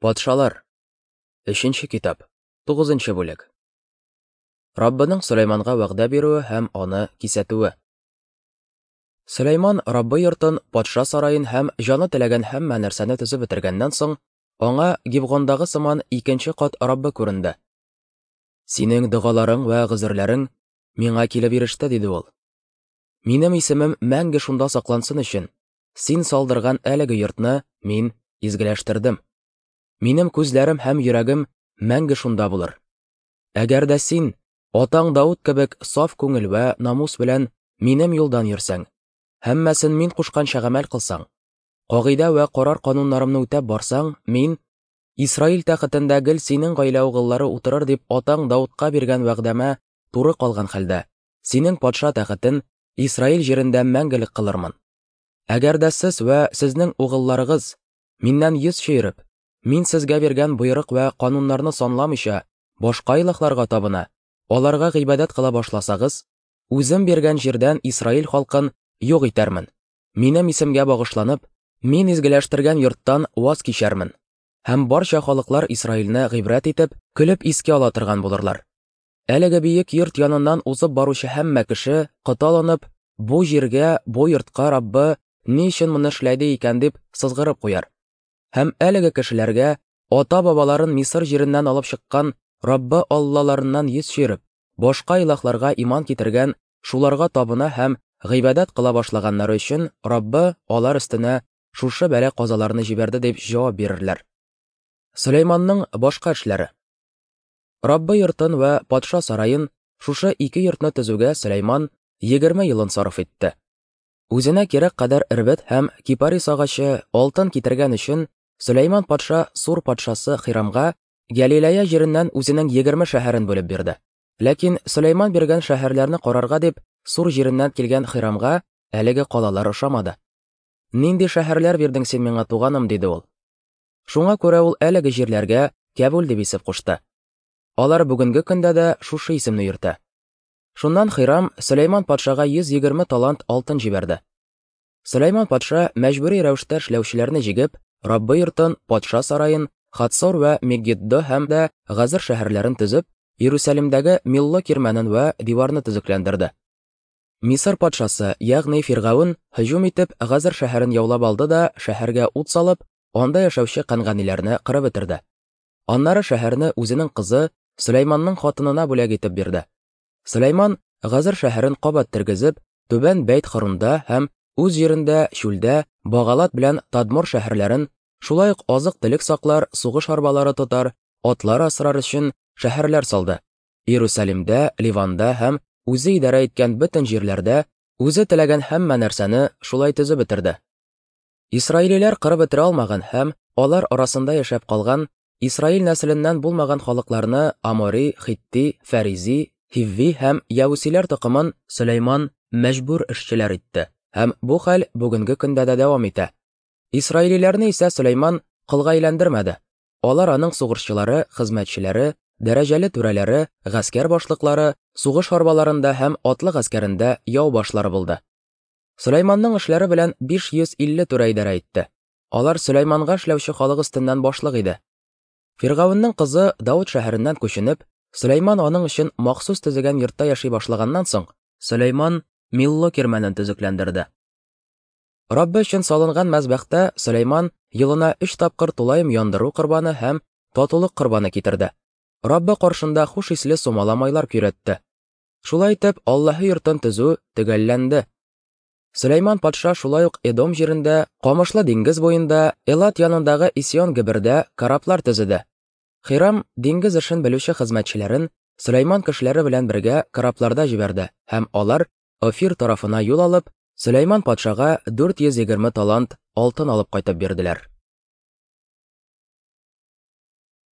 Патшалар. Өченче китап. Тугызынчы бүлек. Раббының Сөләйманга вәгъдә бирүе һәм аны кисәтүе. Сөләйман Раббы йортын, патша сараен һәм җаны теләгән һәммә нәрсәне төзеп бетергәннән соң, аңа Гибгондагы сыман икенче кат Раббы күренде. Синең догаларың вә гозерләрең миңа килеп иреште, диде ул. Минем исемем мәңге шунда саклансын өчен, син салдырган әлеге йортны мин изгеләштердем. Минем күзләрем һәм йөрәгем мәңге шунда булыр. Әгәр дә син, атаң Дауд кебек саф күңел вә намус белән минем юлдан йөрсәң, һәммәсен мин кушканча гамәл кылсаң, кагыйдә вә карар-кануннарымны үтәп барсаң, мин Исраил тәхетендә гел синең гаилә угыллары утырыр дип атаң Даудка биргән вәгъдәмә туры калган хәлдә, синең патша тәхетен Исраил җирендә мәңгелек кылырмын. Әгәр дә сез вә сезнең угылларыгыз миннән йөз чөереп, мин сезгә биргән боерык вә кануннарны санламыйча, башка илаһларга табына, аларга гыйбадәт кыла башласагыз, үзем биргән җирдән Исраил халкын юк итәрмен. Минем исемгә багышланып, мин изгеләштергән йорттан ваз кичәрмен. Һәм барча халыклар Исраилне гыйбрәт итеп, көлеп искә ала торган булырлар. Әлеге биек йорт яныннан узып баручы һәммә кеше, коталанып, бу җиргә, бу йортка Раббы ни өчен моны эшләде икән дип сызгырып куяр. Һәм әлеге кешеләргә ата-бабаларын Мисыр җиреннән алып чыккан Раббы Аллаларыннан йөз чөереп, башка илаһларга иман китергән, шуларга табына һәм гыйбадәт кыла башлаганнары өчен Раббы алар өстенә шушы бәла-казаларны җибәрде дип җавап бирерләр. Сөләйманның башка эшләре. Раббы йортын вә патша сараен, шушы ике йортны төзүгә Сөләйман 20 елын сарыф итте. Үзенә кирәк кадәр эрбет һәм кипарис агачы, алтын китергән өчен Сөләйман патша Сур патшасы Хирамга Гәлиләя җиреннән үзенең 20 шәһәрен бүлеп бирде. Ләкин Сөләйман биргән шәһәрләрне карарга дип Сур җиреннән килгән Хирамга әлеге калалар ошамады. Нинди шәһәрләр бирдең син миңа, туганым, диде ул. Шуңа күрә ул әлеге җирләргә Кәбүл дип исем кушты. Алар бүгенге көндә дә шушы исемне йөртә. Шуннан Хирам Сөләйман патшага 120 талант алтын җибәрде. Сөләйман патша мәҗбүри рәвештә эшләүчеләрне җигеп, Раббы йортын, патша сараен, Хатсор вә Мегиддо һәм дә Газыр шәһәрләрен төзеп, Иерусалимдәге Милло кирмәнен вә диварны төзекләндерде. Мисыр патшасы, ягъни Фиргавен, һөҗүм итеп, Газыр шәһәрен яулап алды да, шәһәргә ут салып, анда яшәүче канганиләрне кырып бетерде. Аннары шәһәрне үзенең кызы Сөләйманның хатынына бүләк итеп бирде. Сөләйман Газыр шәһәрен кабат тергезеп, Түбән Бәйт Хорунда һәм үз җирендә чүлдә Багалат белән Тадмор шәһәрләрен, шулай ук азык-төлек саклар, сугыш арбалары тотар, атлар асрар өчен шәһәрләр салды. Иерусалимдә, Ливанда һәм үзе идарә иткән бөтен җирләрдә үзе теләгән һәммә нәрсәне шулай төзеп бетерде. Исраилиләр кырып бетерә алмаган һәм алар арасында яшәп калган Исраил нәселеннән булмаган халыкларны Амори, Хитти, Фәризи, Хивви һәм Явусиләр токымын Сөләйман мәҗбүр эшчеләр итте. Һәм бу хәл бүгенге көндә дә дәвам итә. Исраилиләрне исә Сөләйман колга әйләндермәде. Алар аның сугышчылары, хезмәтчеләре, дәрәҗәле түрәләре, гаскәр башлыклары, сугыш арбаларында һәм атлы гаскәрендә яу башлары булды. Сөләйманның эшләре белән 550 түрә идарә итте. Алар Сөләйманга эшләүче халык өстеннән башлык иде. Фиргавеннең кызы Давыт шәһәреннән күченеп, Сөләйман аның өчен махсус төзегән йортта яши башлаганнан соң, Сөләйман Милло кирмәнен төзекләндерде. Раббы өчен салынган мәзбәхтә Сөләйман елына өч тапкыр тулаем яндыру корбаны һәм татулык корбаны китерде. Раббы каршында хуш исле сумала майлар көйрәтте. Шулай итеп, Аллаһы йортын төзү төгәлләнде. Сөләйман патша шулай ук Эдом җирендә, Камышлы диңгез буенда, Элат янындагы Исион-Гебердә кораблар төзеде. Хирам диңгез эшен белүче хезмәтчеләрен Сөләйман кешеләре белән бергә корабларда җибәрде, һәм алар Офир тарафына юл алып, Сөләйман патшага 420 талант алтын алып кайтып бирделәр.